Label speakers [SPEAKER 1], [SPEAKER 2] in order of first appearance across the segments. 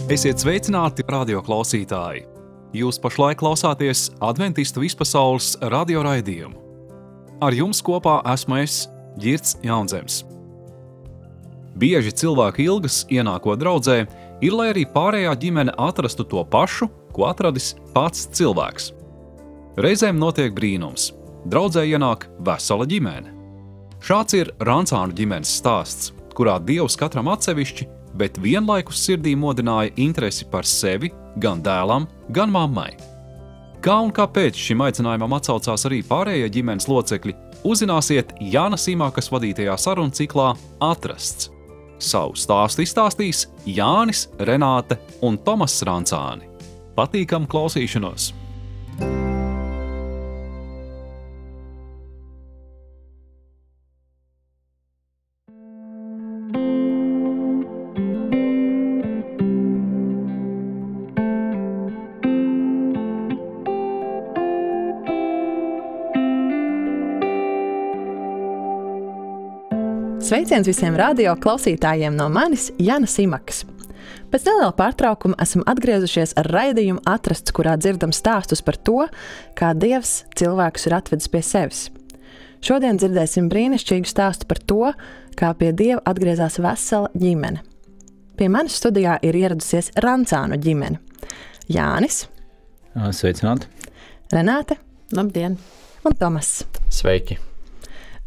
[SPEAKER 1] Esiet sveicināti, radio klausītāji! Jūs pašlaik klausāties Adventistu vispasaules radio raidījumu. Ar jums kopā esmu es, Ģirds Jaunzems. Bieži cilvēki ilgas ienākot draudzē, ir, lai arī pārējā ģimene atrastu to pašu, ko atradis pats cilvēks. Reizēm notiek brīnums. Draudzē ienāk vesela ģimene. Šāds ir Rancānu ģimenes stāsts, kurā Dievs katram atsevišķi, bet vienlaikus sirdī modināja interesi par sevi, gan dēlam, gan mammai. Kā un kāpēc šim aicinājumam atsaucās arī pārējie ģimenes locekļi, uzzināsiet Jānas Imakas vadītajā sarunu ciklā Atrasts. Savu stāstu izstāstīs Jānis, Renāte un Tomass Rancāni. Patīkamu klausīšanos!
[SPEAKER 2] Sveiciens visiem radio klausītājiem no manis, Jānas Imakas. Pēc neliela pārtraukuma esam atgriezušies ar raidījumu Atrasts, kurā dzirdam stāstus par to, kā Dievs cilvēkus ir atvedis pie sevis. Šodien dzirdēsim brīnišķīgu stāstu par to, kā pie Dieva atgriezās vesela ģimene. Pie manis studijā ir ieradusies Rancānu ģimene. Jānis.
[SPEAKER 3] Sveicināti.
[SPEAKER 2] Renāte.
[SPEAKER 4] Labdien.
[SPEAKER 2] Un Tomass.
[SPEAKER 3] Sveiki.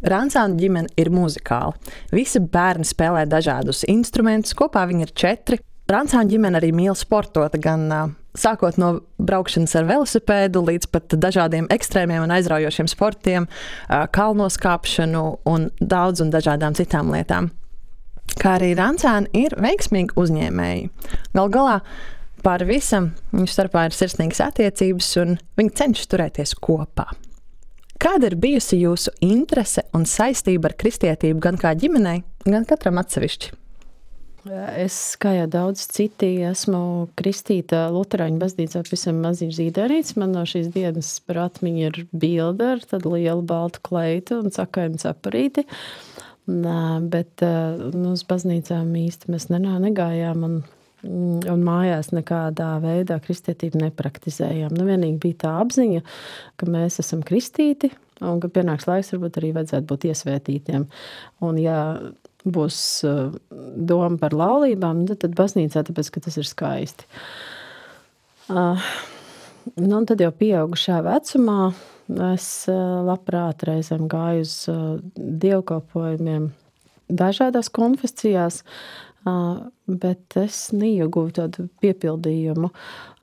[SPEAKER 2] Rancānu ģimene ir muzikāla. Visi bērni spēlē dažādus instrumentus, kopā viņi ir 4. Rancānu ģimene arī mīl sportot, gan sākot no braukšanas ar velosipēdu līdz pat dažādiem ekstrēmiem un aizraujošiem sportiem, kalnoskāpšanu un dažādām citām lietām. Kā arī Rancāni ir veiksmīgi uzņēmēji. Gal galā pār visam viņu starpā ir sirsnīgas attiecības un viņi cenšas turēties kopā. Kāda ir bijusi jūsu interese un saistība ar kristietību gan kā ģimenei, gan katram atsevišķi?
[SPEAKER 4] Es, kā jau daudz citi, esmu kristīta Luterāņu baznīcā pavisam maziņš zīdārīts. Man no šīs dienas par atmiņu ir bilde ar tādu lielu baltu kleitu un sakainu caparīti. Bet uz baznīcām īsti mēs negājām un mājās nekādā veidā kristietību nepraktizējām. Vienīgi bija tā apziņa, ka mēs esam kristīti un ka pienāks laiks varbūt arī vajadzētu būt iesvētītiem. Un ja būs doma par laulībām, tad baznīcā, tāpēc, ka tas ir skaisti. Un tad jau pieaugušā vecumā es labprāt reizēm gāju uz dievkalpojumiem dažādās konfesijās, bet es neieguvu tādu piepildījumu.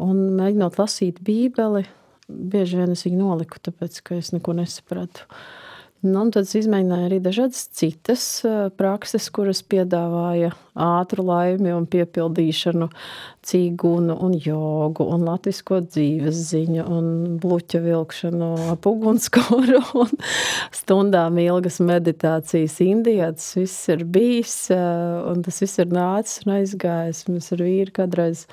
[SPEAKER 4] Un mēģinot lasīt Bībeli, bieži vien es viņu noliku, tāpēc, ka es neko nesapratu. Un tad es izmēģināju arī dažādas citas prakses, kuras piedāvāja ātru laimi un piepildīšanu, cīgunu un jogu un latvisko dzīves ziņu un bluķa vilkšanu ap ugunskura un stundām ilgas meditācijas Indijā. Tas viss ir bijis un tas viss ir nācis un aizgājis. Mēs ar vīru kādreiz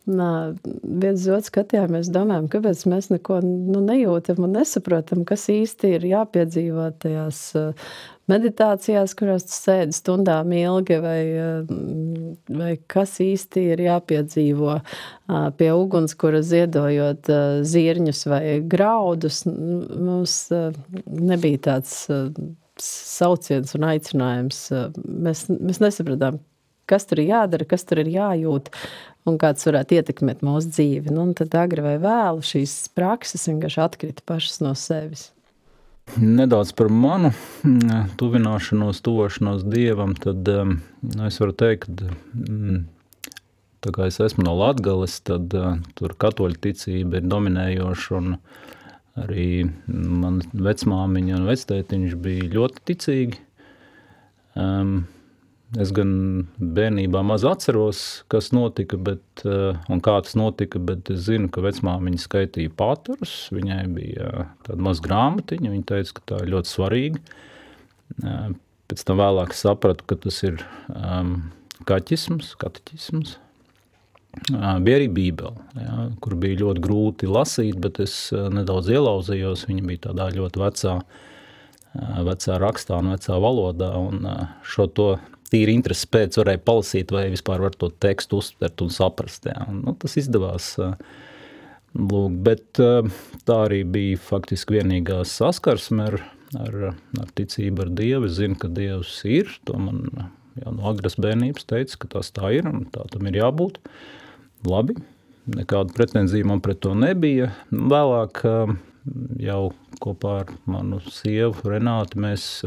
[SPEAKER 4] viens otru skatījāmies, domājam, kāpēc mēs neko nejūtam un nesaprotam, kas īsti ir jāpiedzīvo tajās meditācijās, kurās tu sēdi stundām ilgi, vai kas īsti ir jāpiedzīvo pie ugunskura ziedojot zirņus vai graudus. Mums nebija tāds sauciens un aicinājums. Mēs nesapratām, kas tur ir jādara, kas tur ir jājūt un kāds varētu ietekmēt mūsu dzīvi. Un tad agri vai vēlu šīs prakses vienkārši atkrita pašas no sevis.
[SPEAKER 3] Nedaudz par manu tuvošanos Dievam, tad es varu teikt, ka tā kā es esmu no Latgales, tad tur katoļu ticība ir dominējoša un arī man vecmāmiņa un vectētiņš bija ļoti ticīgi. Es gan bērnībā maz atceros, kas notika, un kā tas notika, bet es zinu, ka vecmāmiņa skaitīja pāterus, viņai bija tāda maz grāmatiņa, viņa teica, ka tā ir ļoti svarīga. Pēc tam vēlāk sapratu, ka tas ir kateķisms. Bija arī Bībele, kur bija ļoti grūti lasīt, bet es nedaudz ielauzījos, viņa bija tādā ļoti vecā rakstā un vecā valodā, un šo to tīri intereses pēc varēja palasīt, vai vispār var to tekstu uztvert un saprast. Jā. Un, tas izdevās. Lūk, bet tā arī bija faktiski vienīgā saskarsme ar ticību ar Dievu. Es zinu, ka Dievs ir, to man jau no agras bērnības teica, ka tas tā ir un tā tam ir jābūt. Labi, nekāda pretenzija man pret to nebija. Vēlāk jau kopā ar manu sievu Renāti mēs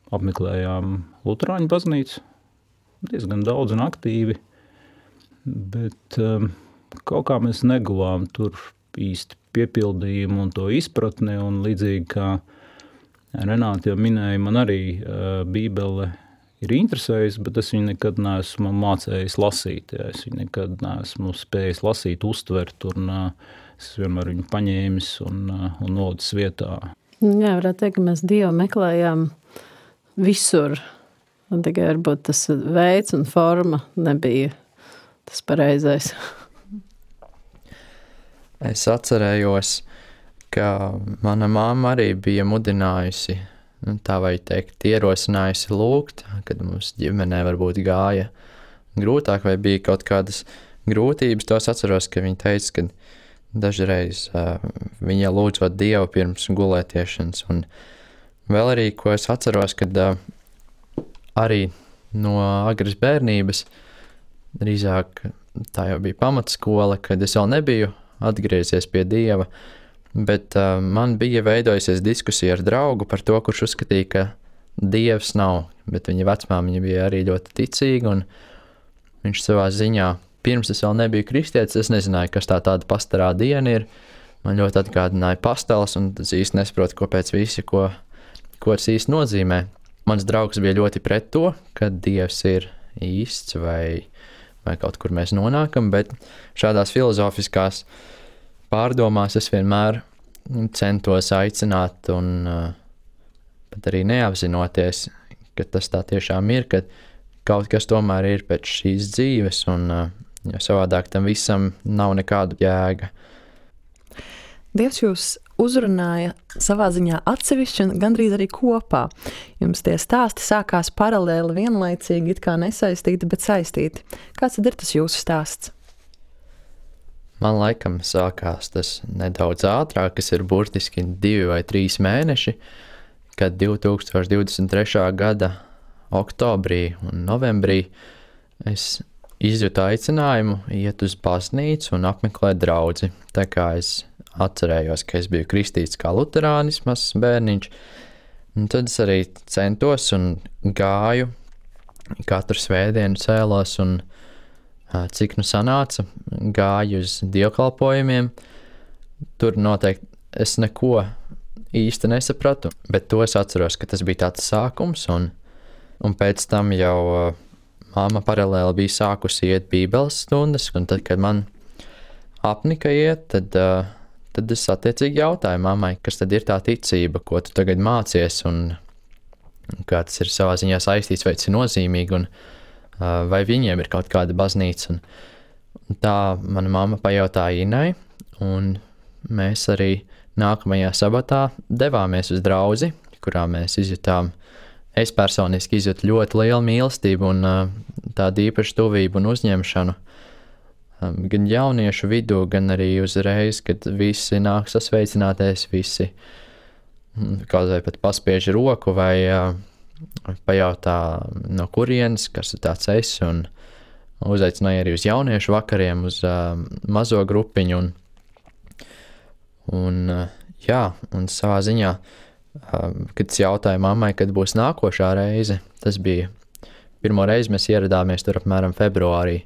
[SPEAKER 3] apmeklējām Luterāņu baznīcu diezgan daudz un aktīvi, bet kaut kā mēs neguvām tur īsti piepildījumu un to izpratni, un līdzīgi kā Renāte jau minēja, man arī Bībele ir interesējusi, bet es viņu nekad neesmu mācējis lasīt. Ja. Es viņu nekad neesmu spējis lasīt, uztvert, un es vienmēr viņu paņēmis un nolicis vietā.
[SPEAKER 4] Jā, varētu teikt, ka mēs Dievu meklējām visur. Un tikai varbūt tas veids un forma nebija tas pareizais.
[SPEAKER 5] Es atcerējos, ka mana mamma arī bija mudinājusi, tā vai teikt, ierosinājusi lūgt, kad mums ģimenē varbūt gāja grūtāk vai bija kaut kādas grūtības. Tos atceros, ka viņa teica, ka dažreiz viņa lūdzot Dievu pirms gulētiešanas. Un vēl arī, ko es atceros, kad arī no agras bērnības, drīzāk tā jau bija pamatskola, kad es vēl nebiju atgriezies pie Dieva, bet man bija veidojusies diskusija ar draugu par to, kurš uzskatīja, ka Dievs nav, bet viņa vecmāmiņa bija arī ļoti ticīga, un viņš savā ziņā, pirms es vēl nebiju kristietis, es nezināju, kas tāda pastarā diena ir, man ļoti atgādināja pasteles, un es īsti nesaprotu, kāpēc visi, ko tas īsti nozīmē. Mans draugs bija ļoti pret to, ka Dievs ir īsts vai kaut kur mēs nonākam, bet šādās filozofiskās pārdomās es vienmēr centos aicināt un pat arī neapzinoties, ka tas tā tiešām ir, ka kaut kas tomēr ir pēc šīs dzīves un jo savādāk tam visam nav nekāda jēga.
[SPEAKER 2] Dievs jūs uzrunāja savā ziņā atsevišķi un gandrīz arī kopā. Jums tie stāsti sākās paralēli, vienlaicīgi, it kā nesaistīti, bet saistīti. Kāds tad ir tas jūsu stāsts?
[SPEAKER 5] Man laikam sākās tas nedaudz ātrāk, kas ir burtiski 2 vai 3 mēneši, kad 2023. gada oktobrī un novembrī es izjūtu aicinājumu iet uz baznīcu un apmeklēt draudzi. Tā kā es atcerējos, ka es biju kristīts kā luterānis, mazs bērniņš, un tad es arī centos un gāju, katru svētdienu cēlos un cik nu sanāca, gāju uz dievkalpojumiem. Tur noteikti es neko īsti nesapratu, bet to es atceros, ka tas bija tāds sākums, un pēc tam jau mamma paralēli bija sākusi iet bībeles stundas, un tad, kad man apnika iet, tad es attiecīgi jautāju mammai, kas tad ir tā ticība, ko tu tagad mācies, un kā tas ir savā ziņā saistīts, vai tas ir nozīmīgi, un vai viņiem ir kaut kāda baznīca. Un tā mana mamma pajautāja Inai, un mēs arī nākamajā sabatā devāmies uz draudzi, kurā mēs izjutām, es personiski izjūtu ļoti lielu mīlestību un tādu īpašu tuvību un uzņemšanu. Gan jauniešu vidū, gan arī uzreiz, kad visi nāk sasveicināties, visi kaut vai pat paspiež roku vai pajautā no kurienes, kas ir tāds es, un uzaicināja arī uz jauniešu vakariem, uz mazo grupiņu, un savā ziņā, kad es jautāju mammai, kad būs nākošā reize, tas bija pirmo reizi mēs ieradāmies tur apmēram februārī,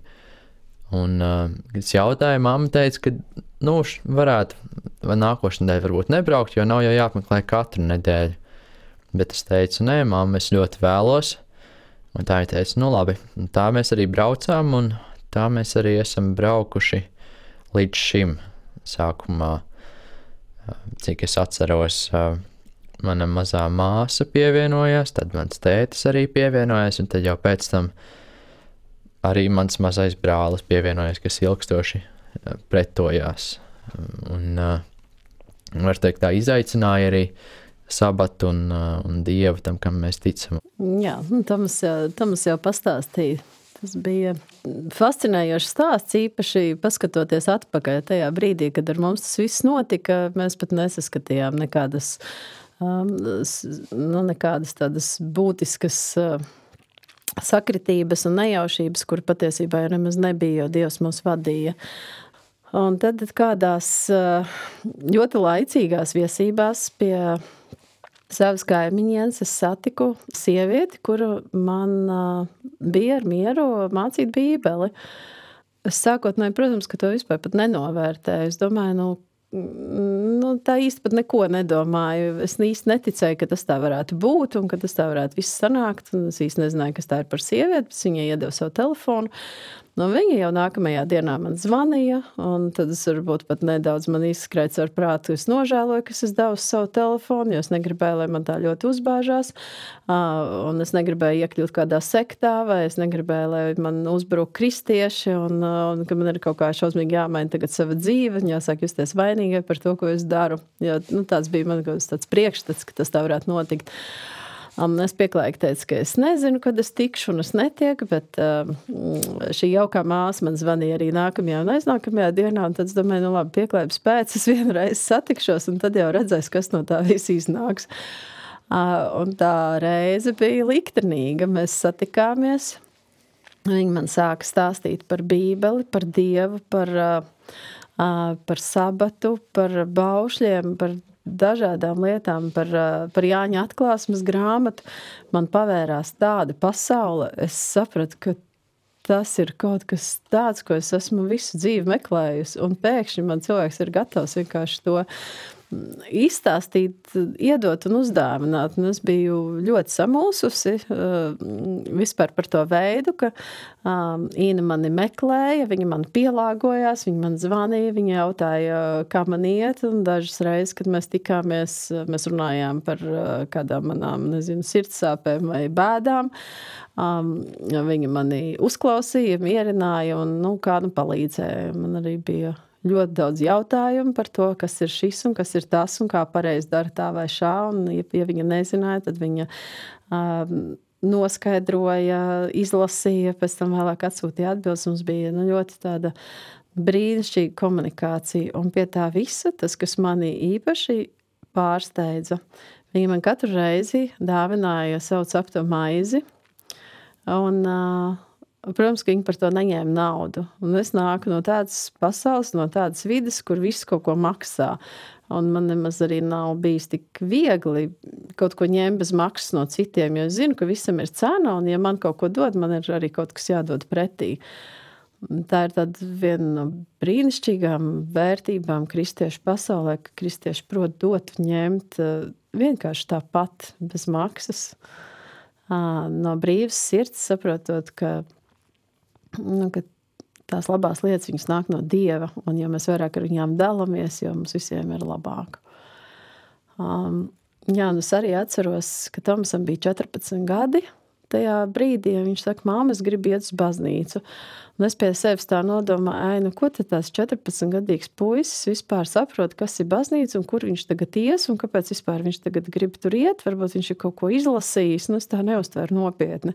[SPEAKER 5] un kad es jautāju, mamma teica, ka varētu vai nākošu nedēļu varbūt nebraukt, jo nav jau jāapmeklē katru nedēļu. Bet es teicu, nē, mamma, es ļoti vēlos. Un tā viņa teica, labi. Un tā mēs arī braucām, un tā mēs arī esam braukuši līdz šim sākumā. Cik es atceros, mana mazā māsa pievienojās, tad mans tētis arī pievienojās, un tad jau pēc tam arī mans mazais brālis pievienojās, kas ilgstoši pretojās. Un var teikt, tā izaicināja arī sabatu un Dievu, tam, kam mēs ticam.
[SPEAKER 4] Jā, Tomas jau pastāstīja. Tas bija fascinējošs stāsts, īpaši paskatoties atpakaļ tajā brīdī, kad ar mums tas viss notika. Mēs pat nesaskatījām nekādas tādas būtiskas sakritības un nejaušības, kur patiesībā jau nemaz nebija, jo Dievs mūs vadīja. Un tad kādās ļoti laicīgās viesībās pie savas kaimiņienes es satiku sievieti, kuru man bija ar mieru mācīt bībeli. Es sākotnēji, protams, ka to vispār pat nenovērtēju. Es domāju, tā īsti pat neko nedomāju. Es īsti neticēju, ka tas tā varētu būt un ka tas tā varētu viss sanākt. Un es īsti nezināju, kas tā ir par sievieti, bet viņai iedeva savu telefonu. Viņa jau nākamajā dienā man zvanīja, un tad es varbūt pat nedaudz man izskrēts ar prātu. Es nožēloju, ka es devu savu telefonu, jo es negribēju, lai man tā ļoti uzbāžās, un es negribēju iekļūt kādā sektā, vai es negribēju, lai man uzbruk kristieši, un ka man ir kaut kā šausmīgi jāmaina tagad sava dzīve, un jāsāk justies vainīgai par to, ko es daru. Jo, tāds bija man tāds priekšstats, ka tas tā varētu notikt. Es pieklājīgi teicu, ka es nezinu, kad es tikšu un es netieku, bet šī jaukā māsa man zvanīja arī nākamajā un aiznākamajā dienā, un tad es domāju, labi, pieklājības pēc, es vienreiz satikšos, un tad jau redzēs, kas no tā viss iznāks. Un tā reize bija liktenīga, mēs satikāmies, viņi man sāka stāstīt par Bībeli, par Dievu, par sabatu, par baušļiem, par dažādām lietām, par Jāņa atklāsmes grāmatu. Man pavērās tāda pasaule. Es sapratu, ka tas ir kaut kas tāds, ko es esmu visu dzīvi meklējusi. Un pēkšņi man cilvēks ir gatavs vienkārši to izstāstīt, iedot un uzdāvināt. Un es biju ļoti samulsusi vispār par to veidu, ka Īna mani meklēja, viņa man pielāgojās, viņa man zvanīja, viņa jautāja, kā man iet, un dažas reizes, kad mēs tikāmies, mēs runājām par kādām manām, sirdsāpēm vai bēdām. Viņa mani uzklausīja, mierināja un, palīdzēja. Man arī bija ļoti daudz jautājumu par to, kas ir šis un kas ir tas un kā pareizi dara tā vai šā. Un, ja viņa nezināja, tad viņa noskaidroja, izlasīja, pēc tam vēlāk atsūtīja atbildes. Mums bija ļoti tāda brīnišķīga komunikācija. Un pie tā visa, tas, kas mani īpaši pārsteidza, viņa man katru reizi dāvināja savu cepto maizi. Un protams, ka viņi par to neņēma naudu. Un es nāku no tādas pasaules, no tādas vides, kur viss kaut ko maksā. Un man nemaz arī nav bijis tik viegli kaut ko ņemt bez maksas no citiem, jo es zinu, ka visam ir cena, un ja man kaut ko dod, man ir arī kaut kas jādod pretī. Tā ir tāda viena no brīnišķīgām vērtībām kristiešu pasaulē, ka kristieši prot dot un ņemt vienkārši tāpat, bez maksas. No brīvas sirds, saprotot, ka tās labās lietas viņas nāk no Dieva, un jo mēs vairāk ar viņām dalamies, jo mums visiem ir labāk. Es arī atceros, ka Tomasam bija 14 gadi tajā brīdī, ja viņš saka, māma, es gribu iet uz baznīcu. Un es pie sevis tā nodomāju, ko tad tās 14-gadīgs puisis vispār saprot, kas ir baznīca un kur viņš tagad ies un kāpēc vispār viņš tagad grib tur iet, varbūt viņš ir kaut ko izlasījis, es tā neuztveru nopietni.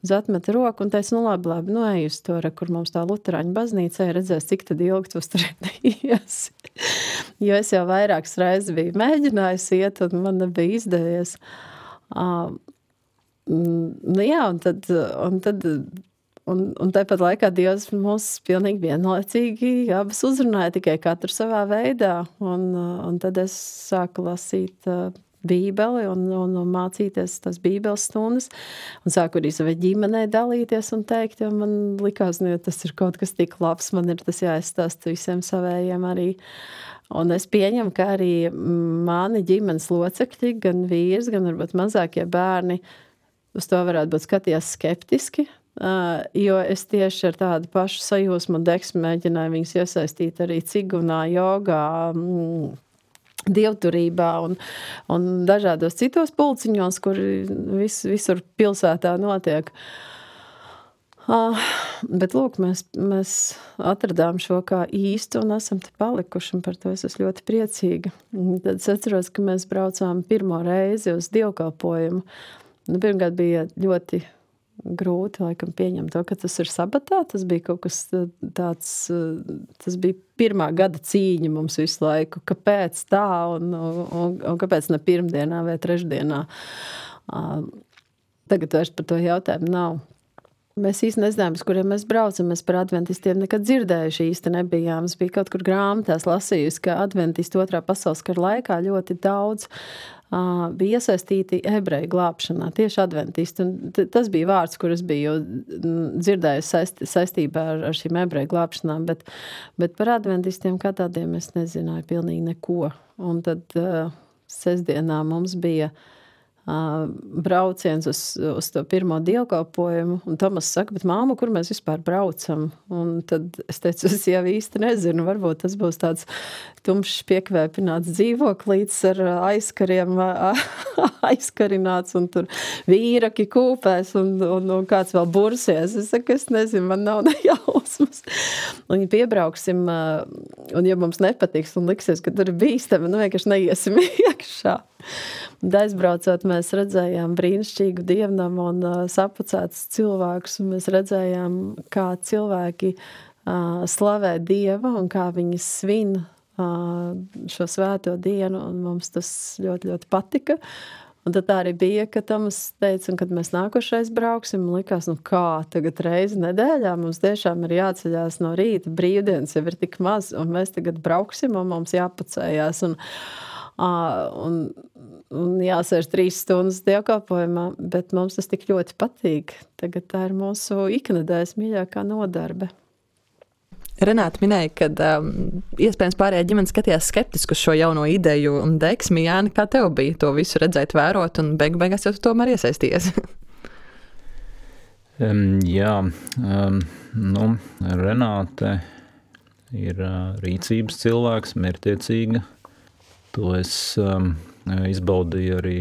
[SPEAKER 4] Es atmetu roku un teicu, labi, ej uz to, kur mums tā luterāņu baznīca, redzēs, cik tad ilgi tu uz tur ies. Jo es jau vairākas reizes biju mēģinājusi iet un man nebija izdevies. Un tāpat laikā Dievs mūs pilnīgi vienlaicīgi abas uzrunāja, tikai katru savā veidā. Un tad es sāku lasīt Bībeli un mācīties tās Bībeles stundas. Un sāku arī savai ģimenei dalīties un teikt, jo man likās, tas ir kaut kas tik labs, man ir tas jāizstāsta visiem savējiem arī. Un es pieņemu, ka arī mani ģimenes locekļi, gan vīrs, gan varbūt mazākie bērni, uz to varētu būt skatījās skeptiski, jo es tieši ar tādu pašu sajūsmu un deksmu mēģināju viņus iesaistīt arī cigunā, jogā, dievturībā un dažādos citos pulciņos, kur visur pilsētā notiek. Bet, lūk, mēs atradām šo kā īstu un esam te palikuši, un par to es esmu ļoti priecīga. Tad es atceros, ka mēs braucām pirmo reizi uz dievkalpojumu. Pirmkārt bija ļoti grūti, laikam, pieņemt to, ka tas ir sabatā. Tas bija kaut kas tāds, tas bija pirmā gada cīņa mums visu laiku. Kāpēc tā un kāpēc ne pirmdienā vai trešdienā? Tagad vairs par to jautājumu nav. Mēs īsti nezinājām, uz kuriem mēs braucam. Mēs par adventistiem nekad dzirdējuši īsti nebijām. Es biju kaut kur grāmatās lasījusi, ka adventisti 2. pasaules kara laikā ļoti daudz bija iesaistīti ebreju glābšanā, tieši adventisti. Un tas bija vārds, kur es biju dzirdējusi saistībā ar šīm ebreju glābšanām, bet par adventistiem kā tādiem es nezināju pilnīgi neko. Un tad sestdienā mums bija brauciens uz to pirmo dievkalpojumu, un Tomas saka, bet māma, kur mēs vispār braucam? Un tad es teicu, es jau īsti nezinu, varbūt tas būs tāds tumšs piekvēpināts dzīvoklīts ar aizkariem aizkarināts, un tur vīraki kūpēs, un kāds vēl bursies. Es saku, es nezinu, man nav nejausmas. Un piebrauksim, un ja mums nepatiks un liksies, ka tur ir bīstami, vienkārši neiesim iekšā. Un aizbraucot, mēs redzējām brīnišķīgu dievnamu un sapucētus cilvēkus, un mēs redzējām, kā cilvēki slavē Dievu un kā viņi svin šo svēto dienu, un mums tas ļoti, ļoti patika. Un tad tā arī bija, ka Tomas teica, un kad mēs nākošais brauksim, likās, kā tagad reizi nedēļā mums tiešām ir jāceļās no rīta, brīvdienas jau ir tik maz, un mēs tagad brauksim, un mums jāpacējās, un jāsēž 3 stundas dievkalpojumā, bet mums tas tik ļoti patīk. Tagad tā ir mūsu iknedēļas mīļākā nodarbe.
[SPEAKER 2] Renāta minēja, ka iespējams pārējā ģimene skatījās skeptiski uz šo jauno ideju un deksmi. Jāni, kā tev bija to visu redzēt, vērot un beigās jau tu tomēr iesaisties?
[SPEAKER 3] Renāte ir rīcības cilvēks, mērķtiecīga. To es izbaudīju arī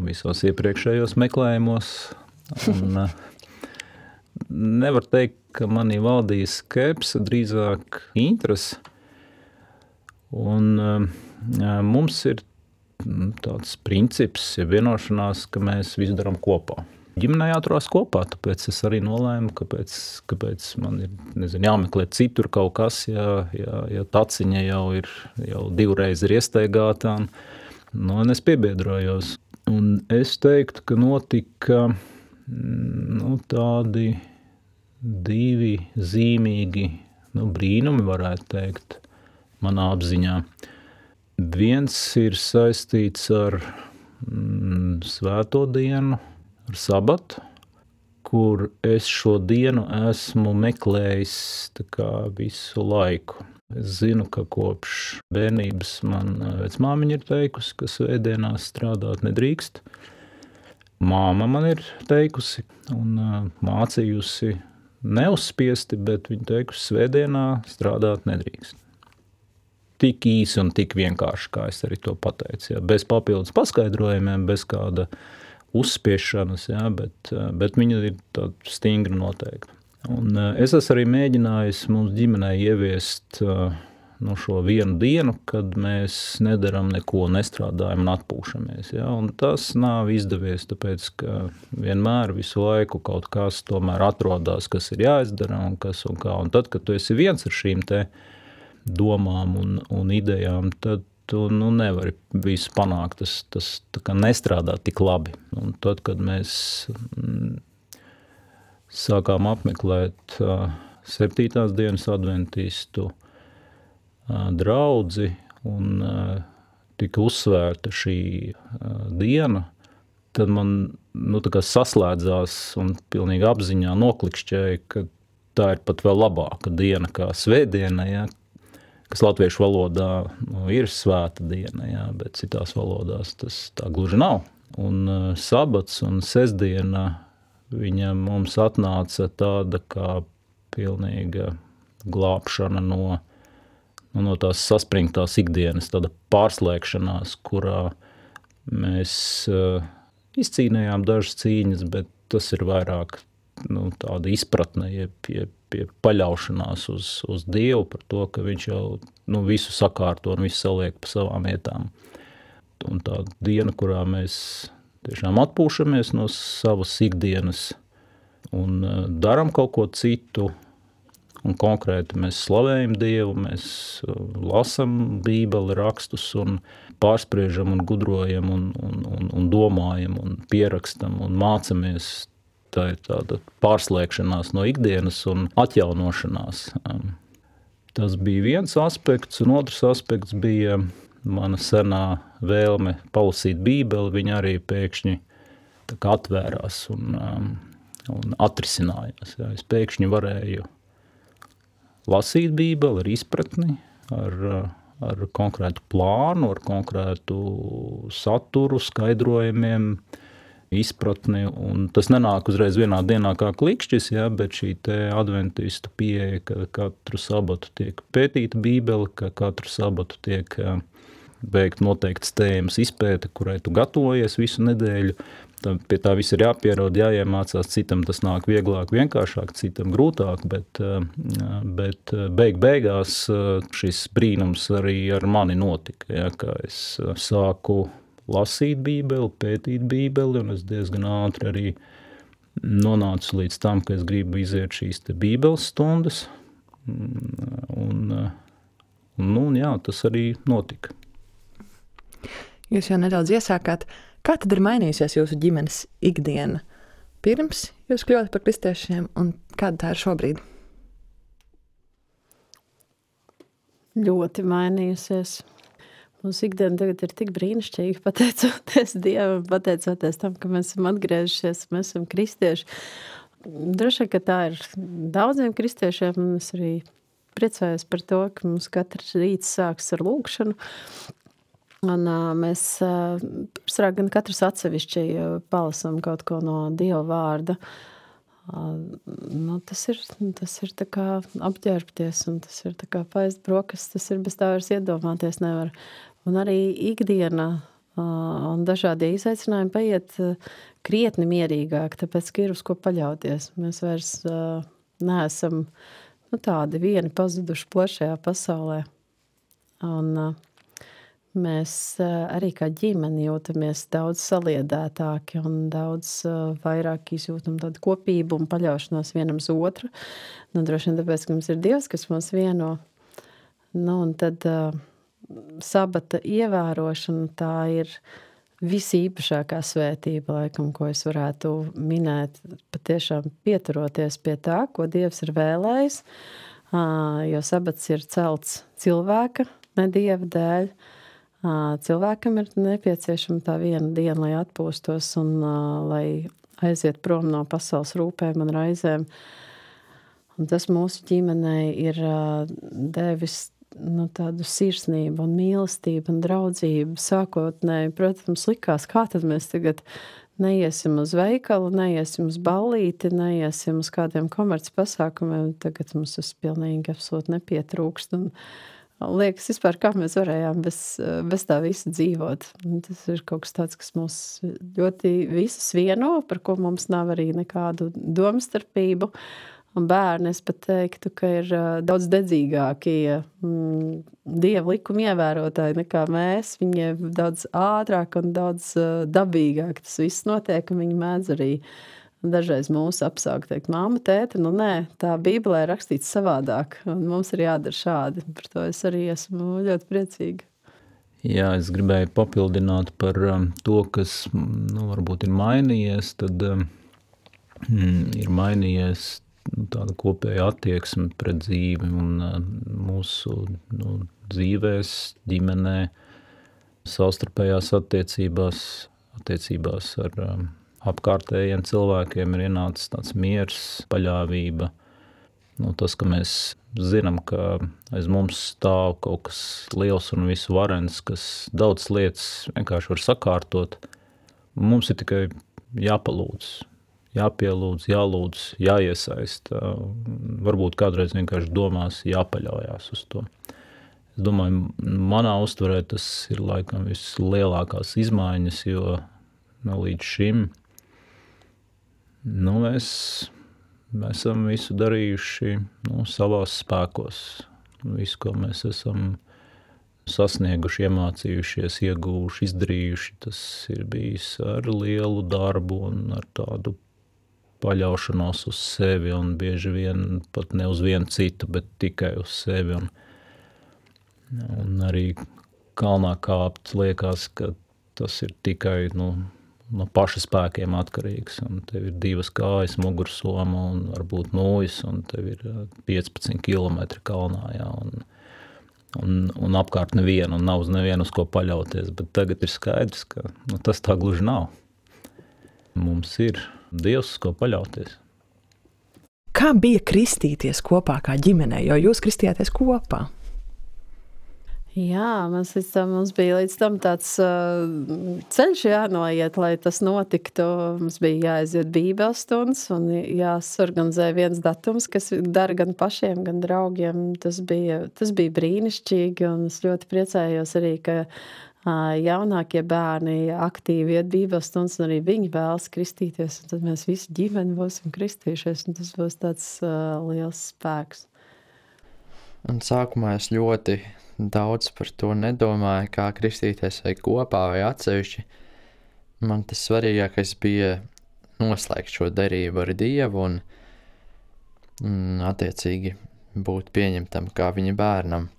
[SPEAKER 3] visos iepriekšējos meklējumos. Un, nevar teikt, ka manī valdīja skepse, drīzāk interese. Un mums ir tāds princips, ja vienošanās, ka mēs visu darām kopā. Ģimenē jāturās kopā, tāpēc es arī nolēmu, kāpēc man ir jāmeklē citur kaut kas, ja taciņa jau 2 reizes ir iestaigātā, un es piebiedrojos. Un es teiktu, ka notika tādi 2 zīmīgi brīnumi, varētu teikt, manā apziņā. Viens ir saistīts ar svēto dienu, ar sabatu, kur es šo dienu esmu meklējis visu laiku. Es zinu, ka kopš bērnības man vecmāmiņa ir teikusi, ka svētdienās strādāt nedrīkst. Māma man ir teikusi un mācījusi neuzspiesti, bet viņa teikusi, svētdienā strādāt nedrīkst. Tik īsi un tik vienkārši, kā es arī to pateicu. Ja, bez papildus paskaidrojumiem, bez kāda uzspiešanas, ja, bet viņa ir tāda stingra noteikta. Un es esmu arī mēģinājis mums ģimenei ieviest šo vienu dienu, kad mēs nedaram neko, nestrādājam un atpūšamies. Ja, un tas nav izdevies, tāpēc, ka vienmēr visu laiku kaut kas tomēr atrodās, kas ir jāizdara un kas un kā. Un tad, kad tu esi viens ar šīm te domām un idejām, tad tu nevari visu panākt, tas tā kā nestrādā tik labi. Un tad, kad mēs sākām apmeklēt 7. dienas adventistu draudzi un tika uzsvērta šī diena, tad man tā kā saslēdzās un pilnīgi apziņā noklikšķēja, ka tā ir pat vēl labāka diena kā svētdiena, ja, kas latviešu valodā ir svēta diena, ja, bet citās valodās tas tā gluži nav. Un sabats un sestdiena viņa mums atnāca tāda kā pilnīga glābšana no tās saspringtās ikdienas, tāda pārslēgšanās, kurā mēs izcīnījām dažas cīņas, bet tas ir vairāk tāda izpratne, jeb paļaušanās uz Dievu par to, ka viņš jau visu sakārto un visu saliek pa savām vietām. Un tā diena, kurā mēs tiešām atpūšamies no savas ikdienas un daram kaut ko citu, un konkrēti mēs slavējam Dievu, mēs lasam Bībeli rakstus un pārspriežam un gudrojam un domājam un pierakstam un mācamies. Tā ir tāda pārslēgšanās no ikdienas un atjaunošanās. Tas bija viens aspekts, un otrs aspekts bija mana senā vēlme palasīt Bībeli. Viņa arī pēkšņi tā kā atvērās un atrisinājās. Jā. Es pēkšņi varēju lasīt Bībeli ar izpratni, ar konkrētu plānu, ar konkrētu saturu, skaidrojumiem, izpratni, un tas nenāk uzreiz vienā dienā kā klikšķis, ja, bet šī te adventistu pieeja, ka katru sabatu tiek pētīta Bībele, ka katru sabatu tiek veikt noteikts tēmas izpēte, kurai tu gatavojies visu nedēļu. Pie tā viss ir jāpierod, jāiemācās, citam tas nāk vieglāk, vienkāršāk, citam grūtāk, bet beigās šis brīnums arī ar mani notika, ja, ka es sāku lasīt Bībeli, pētīt Bībeli, un es diezgan ātri arī nonācu līdz tam, ka es gribu iziet šīs te Bībeles stundas, un jā, tas arī notika.
[SPEAKER 2] Jūs jau nedaudz iesākāt, kā tad ir mainījusies jūsu ģimenes ikdiena pirms jūs kļuvāt par kristiešiem, un kāda tā ir šobrīd?
[SPEAKER 4] Ļoti mainījusies. Mūsu ikdiena tagad ir tik brīnišķīga, pateicoties Dievam, pateicoties tam, ka mēs esam atgriežušies, mēs esam kristieši. Droši vien, ka tā ir daudziem kristiešiem, un es arī priecājos par to, ka mums katrs rīts sāks ar lūgšanu. Un mēs gan katrs atsevišķi palasam kaut ko no Dieva vārda. Tas ir tā kā apģērbties, un tas ir tā kā paēst brokastis, tas ir bez tā vairs iedomāties nevar. Un arī ikdiena un dažādie izaicinājumi paiet krietni mierīgāk, tāpēc, ka ir uz ko paļauties. Mēs vairs neesam tādi vieni pazuduši plašajā pasaulē. Un mēs arī kā ģimeni jūtamies daudz saliedētāki un daudz vairāk izjūtam tādu kopību un paļaušanos vienam uz otru. Droši vien tāpēc, ka mums ir Dievs, kas mūs vieno. Un tad sabata ievērošana, tā ir visīpašākā svētība, laikam, ko es varētu minēt, patiešām pieturoties pie tā, ko Dievs ir vēlējis, jo sabats ir celts cilvēka, ne Dieva dēļ. Cilvēkam ir nepieciešama tā viena diena, lai atpūstos un lai aiziet prom no pasaules rūpēm un raizēm. Un tas mūsu ģimenei ir devis tādu sirsnību un mīlestību un draudzību sākotnēji. Protams, likās, kā tad mēs tagad neiesim uz veikalu, neiesim uz ballīti, neiesim uz kādiem komerces pasākumiem. Tagad mums tas pilnīgi absolūti nepietrūkst. Un liekas vispār, kā mēs varējām bez tā visa dzīvot. Un tas ir kaut kas tāds, kas mūs ļoti visus vieno, par ko mums nav arī nekādu domstarpību. Un bērni, es pat teiktu, ka ir daudz dedzīgāki Dieva likuma ievērotāji nekā mēs. Viņiem daudz ātrāk un daudz dabīgāk tas viss notiek, un viņi mēdz arī dažreiz mūsu apsaukt, teikt, māma, tēte, nē, tā Bībelē ir rakstīts savādāk, un mums ir jādara šādi. Par to es arī esmu ļoti priecīga.
[SPEAKER 3] Jā, es gribēju papildināt par to, kas varbūt ir mainījies, tad ir mainījies tāda kopēja attieksme pret dzīvi un mūsu dzīvēs, ģimenē, savstarpējās attiecībās ar apkārtējiem cilvēkiem ir ienācis tāds miers, paļāvība. Tas, ka mēs zinām, ka aiz mums stāv kaut kas liels un visu varens, kas daudz lietas vienkārši var sakārtot. Mums ir tikai jāpalūdz. Jāpielūdz, jālūdz, jāiesaist. Varbūt kādreiz vienkārši domās jāpaļaujās uz to. Es domāju, manā uztverē tas ir laikam vislielākās izmaiņas, jo līdz šim mēs Mēs esam visu darījuši savās spēkos. Visu, ko mēs esam sasnieguši, iemācījušies, ieguvuši, izdarījuši, tas ir bijis ar lielu darbu un ar tādu paļaušanos uz sevi un bieži vien pat ne uz vienu citu, bet tikai uz sevi. Un arī kalnā kāpt liekas, ka tas ir tikai no paša spēkiem atkarīgs. Un tev ir 2 kājas, mugursoma un varbūt nūjas, un tev ir 15 kilometri kalnā, jā, un apkārt nevienu, un nav uz nevienu uz ko paļauties. Bet tagad ir skaidrs, ka tas tā gluži nav. Mums ir Dievs, uz ko paļauties.
[SPEAKER 2] Kā bija kristīties kopā kā ģimenei, jo jūs kristījāties kopā?
[SPEAKER 4] Jā, mums bija līdz tam tāds ceļš jānoiet, lai tas notiktu. Mums bija jāaiziet bībeles stundas un jāsorganizē viens datums, kas dara gan pašiem, gan draugiem. Tas bija brīnišķīgi, un es ļoti priecājos arī, ka jaunākie bērni aktīvi iet bībeles stundas, un arī viņi vēlas kristīties, un tad mēs visi ģimeni būsim kristījušies, un tas būs tāds liels spēks.
[SPEAKER 5] Un sākumā es ļoti daudz par to nedomāju, kā kristīties vai kopā vai atsevišķi. Man tas svarīgākais bija noslēgt šo derību ar Dievu un attiecīgi būt pieņemtam kā viņa bērnam.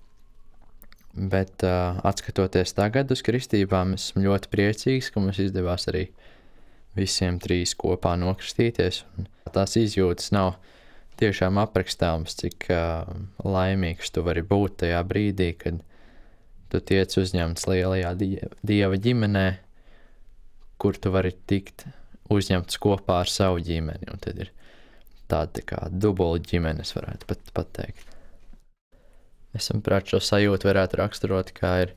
[SPEAKER 5] Bet atskatoties tagad uz kristībām, esmu ļoti priecīgs, ka mums izdevās arī visiem 3 kopā nokristīties. Un tās izjūtas nav tiešām aprakstāms, cik laimīgs tu vari būt tajā brīdī, kad tu tiec uzņemts lielajā Dieva ģimenē, kur tu vari tikt uzņemts kopā ar savu ģimeni. Un tad ir tāda kā dubula ģimenes, varētu pat pateikt. Es saprāt, šo sajūtu varētu raksturot, kā ir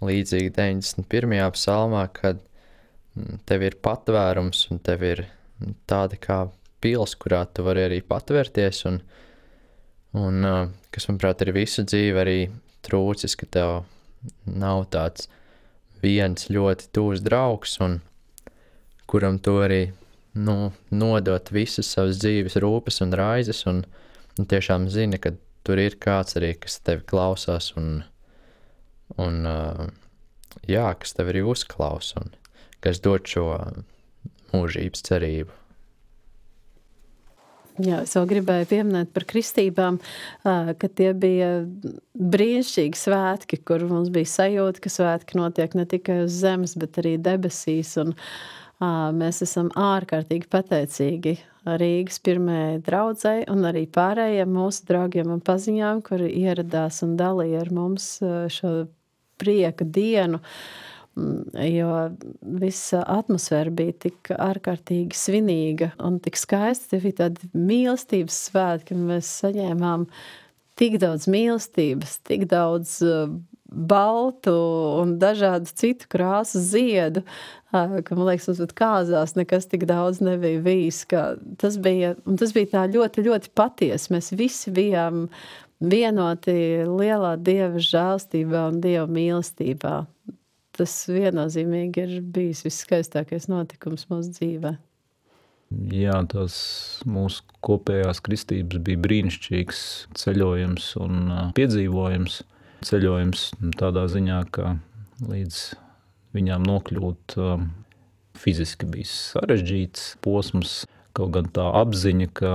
[SPEAKER 5] līdzīgi 91. psalmā, kad tev ir patvērums un tev ir tāda kā pils, kurā tu vari arī patvērties, un kas, manuprāt, ir visu dzīvi arī trūcis, ka tev nav tāds viens ļoti tūs draugs, un kuram tu arī nodot visas savas dzīves rūpes un raizes, un tiešām zini, ka tur ir kāds arī, kas tevi klausās, un kas tevi arī uzklausa, un kas dod šo mūžības cerību.
[SPEAKER 4] Jā, es vēl gribēju pieminēt par kristībām, ka tie bija brīnišķīgi svētki, kur mums bija sajūta, ka svētki notiek ne tikai uz zemes, bet arī debesīs, un mēs esam ārkārtīgi pateicīgi Rīgas pirmajai draudzei un arī pārējiem mūsu draugiem un paziņām, kuri ieradās un dalīja ar mums šo prieka dienu, jo visa atmosfēra bija tik ārkārtīgi svinīga un tik skaista. Tie bija tādi mīlestības svētki, un mēs saņēmām tik daudz mīlestības, tik daudz baltu un dažādu citu krāsu ziedu, ka, man liekas, mums pat kāzās nekas tik daudz nebija bijis. Tas bija tā ļoti, ļoti patiesi. Mēs visi bijām vienoti lielā Dieva žēlstībā un Dieva mīlestībā. Tas viennozīmīgi ir bijis viskaistākais notikums mūsu dzīvē.
[SPEAKER 3] Jā, tās mūsu kopējās kristības bija brīnišķīgs ceļojums un piedzīvojums. Ceļojums tādā ziņā, ka līdz viņām nokļūt fiziski bija sarežģīts posms, kaut gan tā apziņa, ka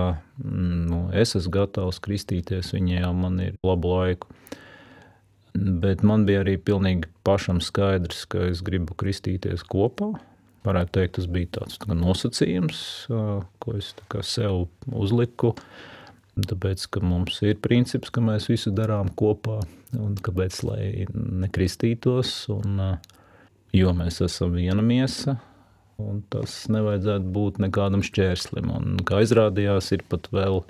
[SPEAKER 3] es esmu gatavs kristīties, viņa jau man ir labu laiku. Bet man bija arī pilnīgi pašam skaidrs, ka es gribu kristīties kopā. Varētu teikt, tas bija tāds nosacījums, ko es sev uzliku, tāpēc, ka mums ir princips, ka mēs visu darām kopā, un kāpēc, lai nekristītos, jo mēs esam viena miesa, un tas nevajadzētu būt nekādam šķērslim. Un kā izrādījās, ir pat vēl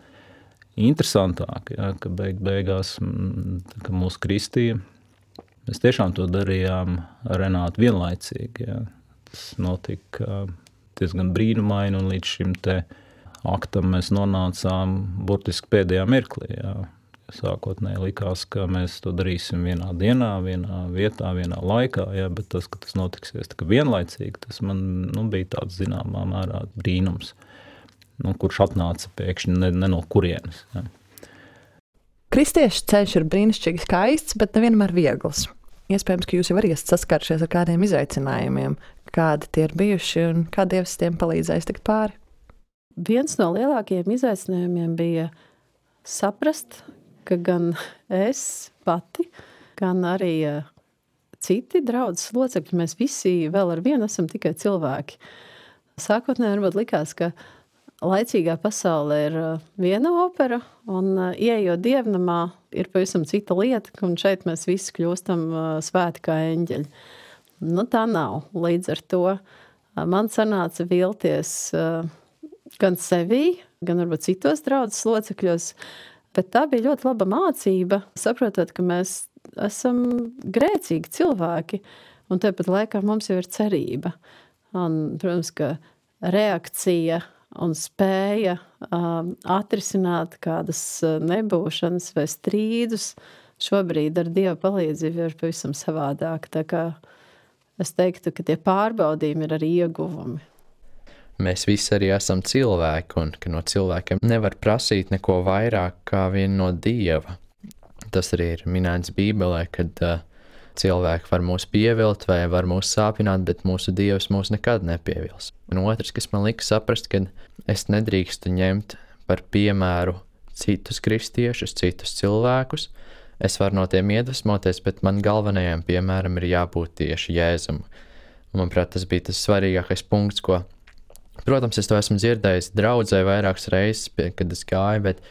[SPEAKER 3] interesantāk, ka beigās, ka mūs kristīja, mēs tiešām to darījām ar Renātu vienlaicīgi. Jā. Tas notika diezgan brīnumaini, un līdz šim te aktam mēs nonācām burtiski pēdējā mirklī. Jā. Sākotnēji likās, ka mēs to darīsim vienā dienā, vienā vietā, vienā laikā, jā, bet tas, ka tas notiksies tā kā vienlaicīgi, tas man bija tāds zināmā mērā brīnums. kurš atnāca pēkšņi ne no kurienes. Ja.
[SPEAKER 2] Kristiešu ceļš ir brīnišķīgi skaists, bet nevienmēr viegls. Iespējams, ka jūs jau arī esat saskārušies ar kādiem izaicinājumiem, kādi tie ir bijuši un kā Dievs tiem palīdzējis tikt pāri.
[SPEAKER 4] Viens no lielākajiem izaicinājumiem bija saprast, ka gan es pati, gan arī citi draudzes locekļi, mēs visi vēl ar vienu esam tikai cilvēki. Sākotnēji varbūt likās, ka laicīgā pasaulē ir viena opera, un ieejot dievnamā ir pavisam cita lieta, un šeit mēs visi kļūstam svēti kā eņģeļi. Nu, tā nav. Līdz ar to man sanāca vilties gan sevī, gan varbūt citos draudzes locekļos, bet tā bija ļoti laba mācība, saprotot, ka mēs esam grēcīgi cilvēki, un tāpat laikā mums jau ir cerība. Un, protams, ka reakcija un spēja atrisināt kādas nebūšanas vai strīdus šobrīd ar Dieva palīdzību ir pavisam savādāk. Tā kā es teiktu, ka tie pārbaudījumi ir arī ieguvumi.
[SPEAKER 5] Mēs visi arī esam cilvēki, un ka no cilvēkiem nevar prasīt neko vairāk kā vien no Dieva. Tas arī ir minēts Bībelē, kad cilvēki var mūs pievilt vai var mūs sāpināt, bet mūsu Dievs mūs nekad nepievils. Un otrs, kas man lika saprast, ka es nedrīkstu ņemt par piemēru citus kristiešus, citus cilvēkus. Es varu no tiem iedvesmoties, bet man galvenajam piemēram ir jābūt tieši Jēzum. Un, manuprāt, tas bija tas svarīgākais punkts, ko, protams, es to esmu dzirdējis draudzē vairākas reizes, kad es gāju, bet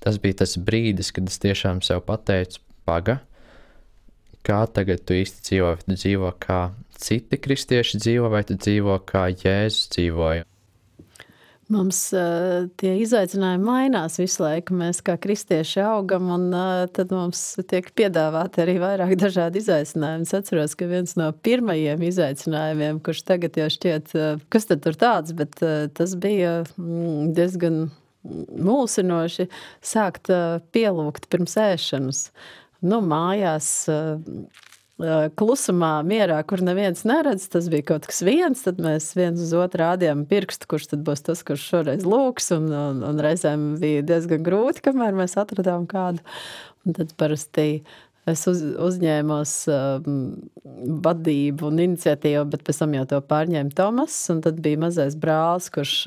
[SPEAKER 5] tas bija tas brīdis, kad es tiešām sev pateicu, paga, kā tagad tu īsti dzīvo, vai tu dzīvo kā citi kristieši dzīvo, vai tu dzīvo kā Jēzus dzīvoja?
[SPEAKER 4] Mums tie izaicinājumi mainās visu laiku, mēs kā kristieši augam, un tad mums tiek piedāvāti arī vairāk dažādi izaicinājumi. Es atceros, ka viens no pirmajiem izaicinājumiem, kurš tagad jau šķiet, kas tad tur tāds, bet tas bija diezgan mulsinoši sākt pielūgt pirms ēšanas. Nu, mājās klusumā, mierā, kur neviens neredz, tas bija kaut kas viens, tad mēs viens uz otru rādījām pirkstu, kurš tad būs tas, kurš šoreiz lūgs, un reizēm bija diezgan grūti, kamēr mēs atradām kādu. Un tad parasti es uzņēmos vadību un iniciatīvu, bet pēc tam jau to pārņēma Tomas, un tad bija mazais brālis, kurš,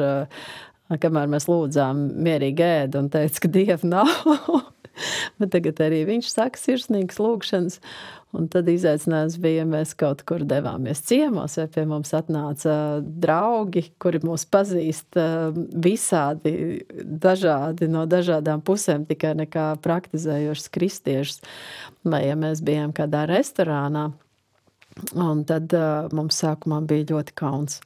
[SPEAKER 4] kamēr mēs lūdzām, mierīgi ēda un teica, ka Dieva nav. Bet tagad arī viņš saka sirsnīgas lūgšanas, un tad izaicinājums bija, ja mēs kaut kur devāmies ciemos, vai pie mums atnāca draugi, kuri mūs pazīst visādi dažādi no dažādām pusēm, tikai nekā praktizējošas kristiešus, vai ja mēs bijām kādā restorānā, un tad mums sākumā bija ļoti kauns.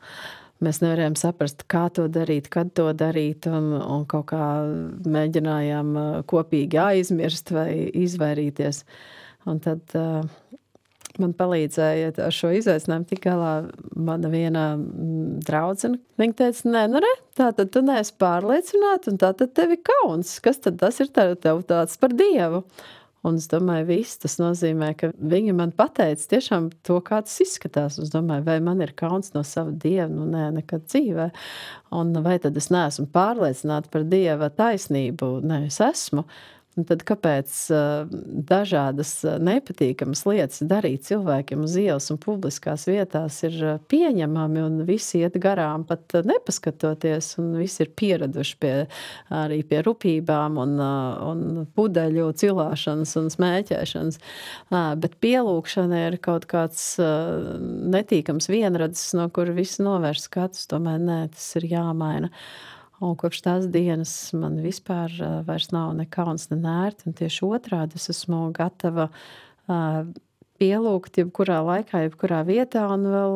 [SPEAKER 4] Mēs nevarējām saprast, kā to darīt, kad to darīt, un kaut kā mēģinājām kopīgi aizmirst vai izvairīties. Un tad man palīdzēja ar šo izaicinājumu tik galā mana viena draudzene. Viņa teica, tātad tu neesi pārliecināta, un tātad tev ir kauns. Kas tad tas ir tev tāds par Dievu? Un es domāju, viss tas nozīmē, ka viņa man pateica tiešām to, kā tas izskatās. Es domāju, vai man ir kauns no sava Dieva? Nu, nē, nekad dzīvē. Un vai tad es neesmu pārliecināta par Dieva taisnību? Nē, es esmu. Un tad kāpēc dažādas nepatīkamas lietas darīt cilvēkiem uz ielas un publiskās vietās ir pieņemami un visi iet garām pat nepaskatoties un visi ir pieraduši arī pie rupībām un pudeļu cilāšanas un smēķēšanas. Bet pielūgšana ir kaut kāds netīkams vienradzes, no kura visi novērš skatus. Tomēr nē, tas ir jāmaina. Un kopš tās dienas man vispār vairs nav ne kauns, ne nērti, un tieši otrādi es esmu gatava pielūgt jebkurā laikā, jebkurā vietā, un vēl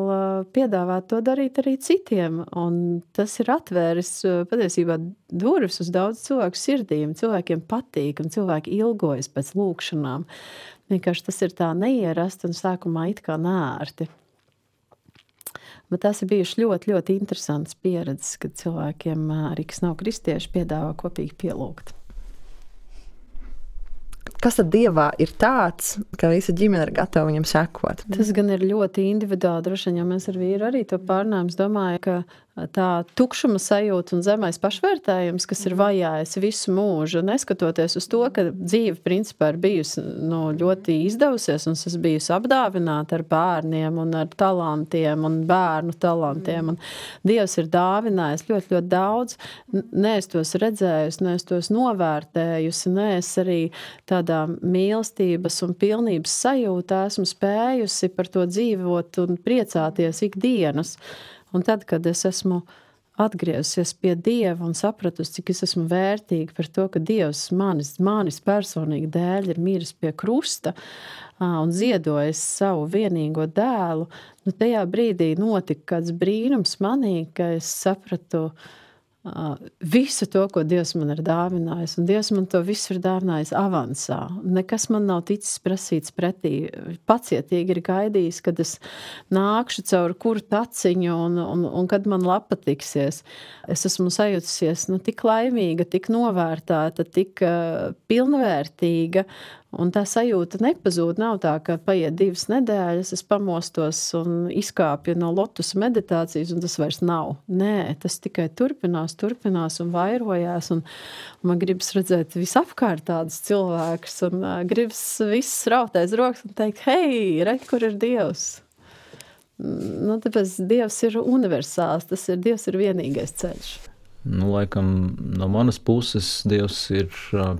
[SPEAKER 4] piedāvāt to darīt arī citiem. Un tas ir atvēris patiesībā durvis uz daudz cilvēku sirdīm. Cilvēkiem patīk, un cilvēki ilgojas pēc lūkšanām. Vienkārši tas ir tā neierasti un sākumā it kā nērti. Bet tās ir bijušas ļoti, ļoti interesantas pieredzes, kad cilvēkiem, arī kas nav kristieši, piedāvā kopīgi pielūgt.
[SPEAKER 2] Kas tad Dievā ir tāds, ka visa ģimene ir gatava viņam sekot?
[SPEAKER 4] Tas gan ir ļoti individuāli, droši vien, jo mēs ar vīru arī to pārnājām. Es domāju, ka tā tukšuma sajūta un zemais pašvērtējums, kas ir vajājis visu mūžu, neskatoties uz to, ka dzīve principā ir bijusi ļoti izdevusies, un es bijusi apdāvināta ar bērniem un ar talantiem un bērnu talantiem, un Dievs ir dāvinājis ļoti, ļoti daudz. Ne es tos redzējusi, ne es tos novērtējusi, ne es arī tādā mīlestības un pilnības sajūtā esmu spējusi par to dzīvot un priecāties ikdienas. Un tad, kad es esmu atgriezusies pie Dieva un sapratusi, cik es esmu vērtīga par to, ka Dievs manis personīgi dēļ ir miris pie krusta un ziedojis savu vienīgo dēlu, tajā brīdī notika kāds brīnums manī, ka es sapratu visu to, ko Dievs man ir dāvinājis, un Dievs man to visu ir dāvinājis avansā. Nekas man nav ticis prasīts pretī. Pacietīgi ir gaidījis, kad es nākšu caur kuru taciņu un kad man lapa tiksies. Es esmu sajutusies tik laimīga, tik novērtēta, tik pilnvērtīga, un tā sajūta nepazūd. Nav tā, ka paiet 2 nedēļas, es pamostos un izkāpju no lotusa meditācijas, un tas vairs nav. Nē, tas tikai turpinās un vairojās, un man gribas redzēt visapkārt tādus cilvēkus, un gribas viss rautēs rokas un teikt, hei, re, kur ir Dievs? Tāpēc Dievs ir universāls, Dievs ir vienīgais ceļš.
[SPEAKER 3] Laikam no manas puses Dievs ir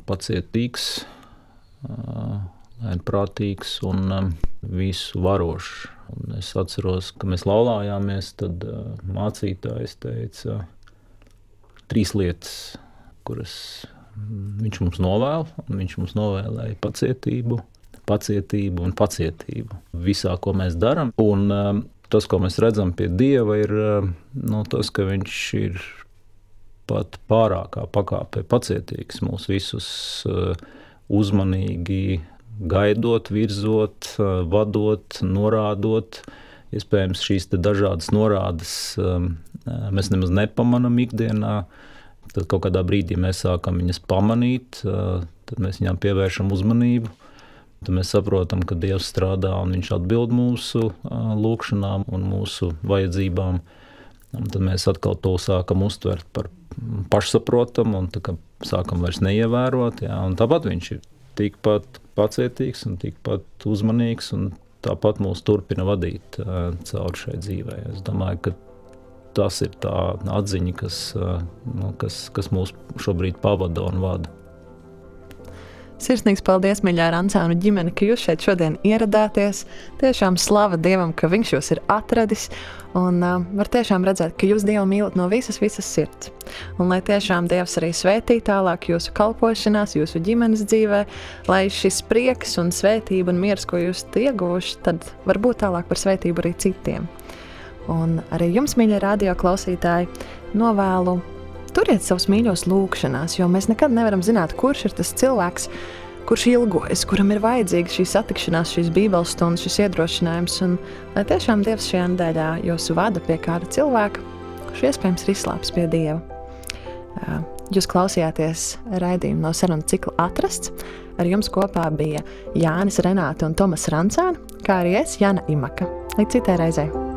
[SPEAKER 3] pacietīgs, lēnprātīgs un visu varošs. Un es atceros, ka mēs laulājāmies, tad mācītājs teica 3 lietas, kuras viņš mums novēl, un viņš mums novēlēja pacietību un pacietību visā, ko mēs darām. Un tas, ko mēs redzam pie Dieva, ir tas, ka viņš ir pat pārākā pakāpē pacietīgs mūs visus uzmanīgi gaidot, virzot, vadot, norādot. Iespējams, šīs dažādas norādes mēs nemaz nepamanām ikdienā. Tad kaut kādā brīdī mēs sākam viņas pamanīt, tad mēs viņām pievēršam uzmanību. Tad mēs saprotam, ka Dievs strādā un viņš atbild mūsu lūkšanām un mūsu vajadzībām. Un tad mēs atkal to sākam uztvert par pašsaprotam un sākam vairs neievērot. Jā. Un tāpat viņš ir tikpat pacietīgs un tikpat uzmanīgs un tāpat mūs turpina vadīt cauri šai dzīvē. Es domāju, ka tas ir tā atziņa, kas mūs šobrīd pavada un vada.
[SPEAKER 2] Sirsnīgs paldies, mīļā Rancānu ģimene, ka jūs šeit šodien ieradāties. Tiešām slava Dievam, ka viņš jūs ir atradis, un var tiešām redzēt, ka jūs Dievu mīlat no visas sirds. Un lai tiešām Dievs arī svētī tālāk jūsu kalpošanās, jūsu ģimenes dzīvē, lai šis prieks un svētība un miers, ko jūs ieguvuši, tad var būt tālāk par svētību arī citiem. Un arī jums, mīļie radio klausītāji, novēlu turiet savus mīļos lūkšanās, jo mēs nekad nevaram zināt, kurš ir tas cilvēks, kurš ilgojas, kuram ir vajadzīga šī satikšanās, šīs bībeles stundas, šis iedrošinājums, un lai tiešām Dievs šajā nedēļā jūs vada pie kāda cilvēka, kurš iespējams ir izslāpis pie Dieva. Jūs klausījāties raidījumu no sarunu cikla Atrasts. Ar jums kopā bija Jānis Renāte un Tomas Rancāni, kā arī es, Jana Imaka. Līdz citai reizei!